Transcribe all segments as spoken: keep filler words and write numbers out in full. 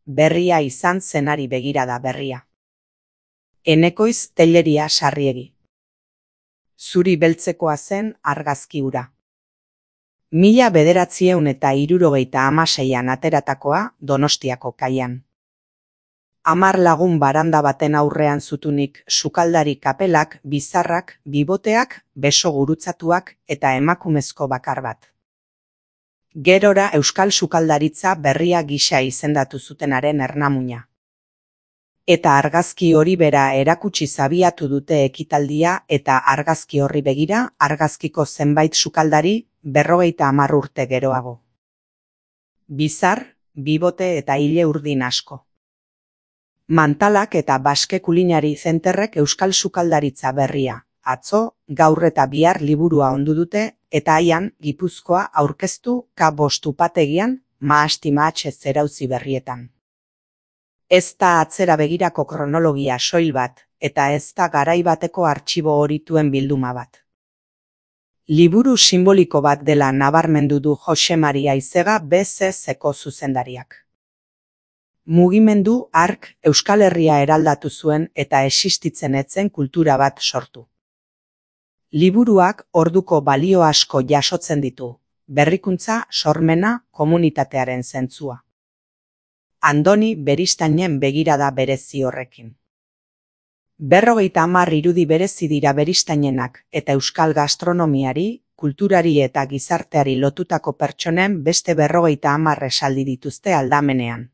Berria izan zenari begirada berria. Enekoiz telleria sarriegi. Zuri beltzekoa zen argazki hura. Mila bederatzieun eta hirurogeita hamaseian ateratakoa Donostiako kaian. Hamar lagun baranda baten aurrean zutunik sukaldari kapelak, bizarrak, biboteak, beso gurutzatuak eta emakumezko bakar bat. Gerora euskal sukaldaritza berria gisa izendatu zutenaren ernamuina. Eta argazki hori bera erakutsi zabiatu dute ekitaldia eta argazki horri begira argazkiko zenbait sukaldari berrogeita hamar urte geroago. Bizar, bibote eta hile urdin asko. Mantalak eta Baske Kulinari Zenterrek euskal sukaldaritza berria, atzo, gaur eta bihar liburua ondu dute, eta haian Gipuzkoa aurkeztu ka bost upategian mahasti mahatxe zerauzi berrietan. Ez da atzera begirako kronologia soil bat, eta ez da garai bateko artxibo horituen bilduma bat. Liburu simboliko bat dela nabarmendu du Jose Maria Aizega B Z Zeko zuzendariak. Mugimendu hark Euskal Herria eraldatu zuen eta existitzen etzen kultura bat sortu. Liburuak orduko balio asko jasotzen ditu, berrikuntza, sormena, komunitatearen zentzua. Andoni Beristainen begirada berezi horrekin. Berrogeita hamar irudi berezi dira Beristainenak eta euskal gastronomiari, kulturari eta gizarteari lotutako pertsonen beste berrogeita hamar esaldi dituzte aldamenean.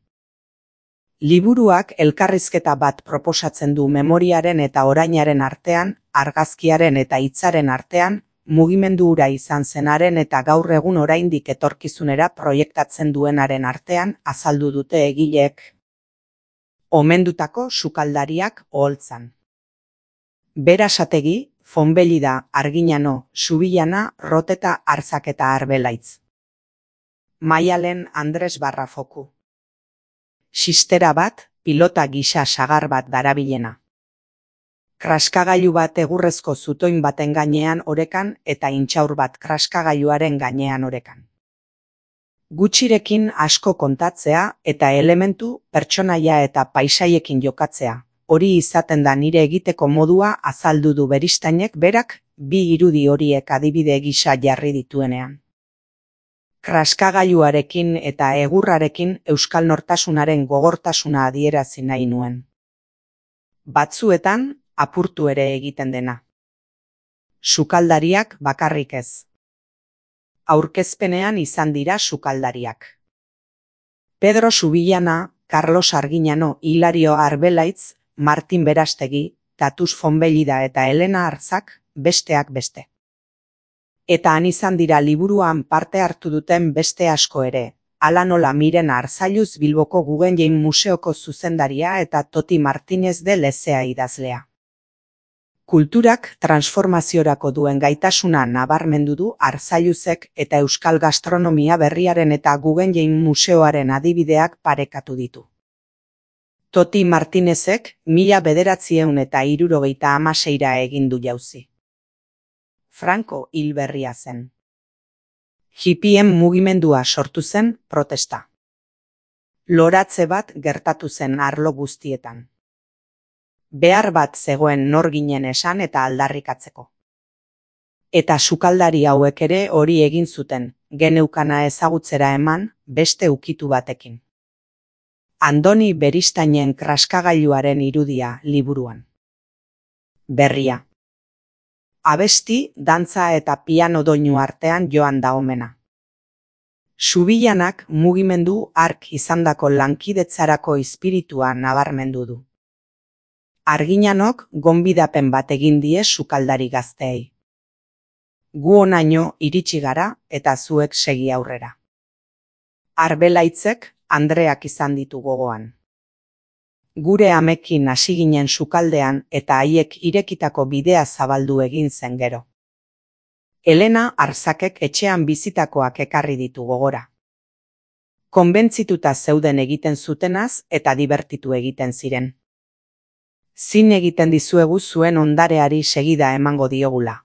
Liburuak elkarrizketa bat proposatzen du memoriaren eta orainaren artean, argazkiaren eta hitzaren artean, mugimendu hura izan zenaren eta gaur egun oraindik etorkizunera proiektatzen duenaren artean azaldu dute egileek. Omendutako sukaldariak oholtzan. Berasategi, Fonbellida, Arginano, Subillana, Roteta, Arzak eta Arbelaitz. Maialen Andres Barrafoku. Sistera bat, pilota gisa sagar bat darabilena. Kraskagailu bat egurrezko zutoin baten gainean orekan eta intxaur bat kraskagailuaren gainean orekan. Gutxirekin asko kontatzea eta elementu, pertsonaia eta paisaiekin jokatzea, hori izaten da nire egiteko modua azaldu du Beristainek berak bi irudi horiek adibide gisa jarri dituenean. Kraskagailuarekin eta egurrarekin euskal nortasunaren gogortasuna adierazi nahi nuen. Batzuetan, apurtu ere egiten dena. Sukaldariak bakarrik ez. Aurkezpenean izan dira sukaldariak. Pedro Subillana, Carlos Arginano, Hilario Arbelaitz, Martin Berastegi, Tatus Fonbellida eta Elena Arzak, besteak beste. Eta han izan dira liburuan parte hartu duten beste asko ere, hala nola Miren Arzailuz Bilboko Guggenheim Museoko zuzendaria eta Toti Martinez de Lezea idazlea. Kulturak transformaziorako duen gaitasuna nabarmendu du Arzailuzek eta euskal gastronomia berriaren eta Guggenheim Museoaren adibideak parekatu ditu. Toti Martinezek mila bederatzieun eta hirurogeita hamaseira egin du jauzi. Franco hil berria zen. Hippien mugimendua sortu zen protesta. Loratze bat gertatu zen arlo guztietan. Behar bat zegoen nor ginen esan eta aldarrikatzeko. Eta sukaldari hauek ere hori egin zuten, geneukana ezagutzera eman, beste ukitu batekin. Andoni Beristainen kraskagailuaren irudia liburuan. Berria. Abesti, dantza eta piano doinu artean joan da omena. Subillanak mugimendu hark izandako lankidetzarako espiritua nabarmendu du. Arginanok gonbidapen bat egin die sukaldari gazteei. Gu honaino iritsi gara eta zuek segi aurrera. Arbelaitzek Andreak izan ditu gogoan. Gure amekin hasi ginen sukaldean eta haiek irekitako bidea zabaldu egin zen gero. Elena Arzakek etxean bizitakoak ekarri ditu gogora. Konbentzituta zeuden egiten zutenaz eta dibertitu egiten ziren. Zin egiten dizuegu zuen ondareari segida emango diogula.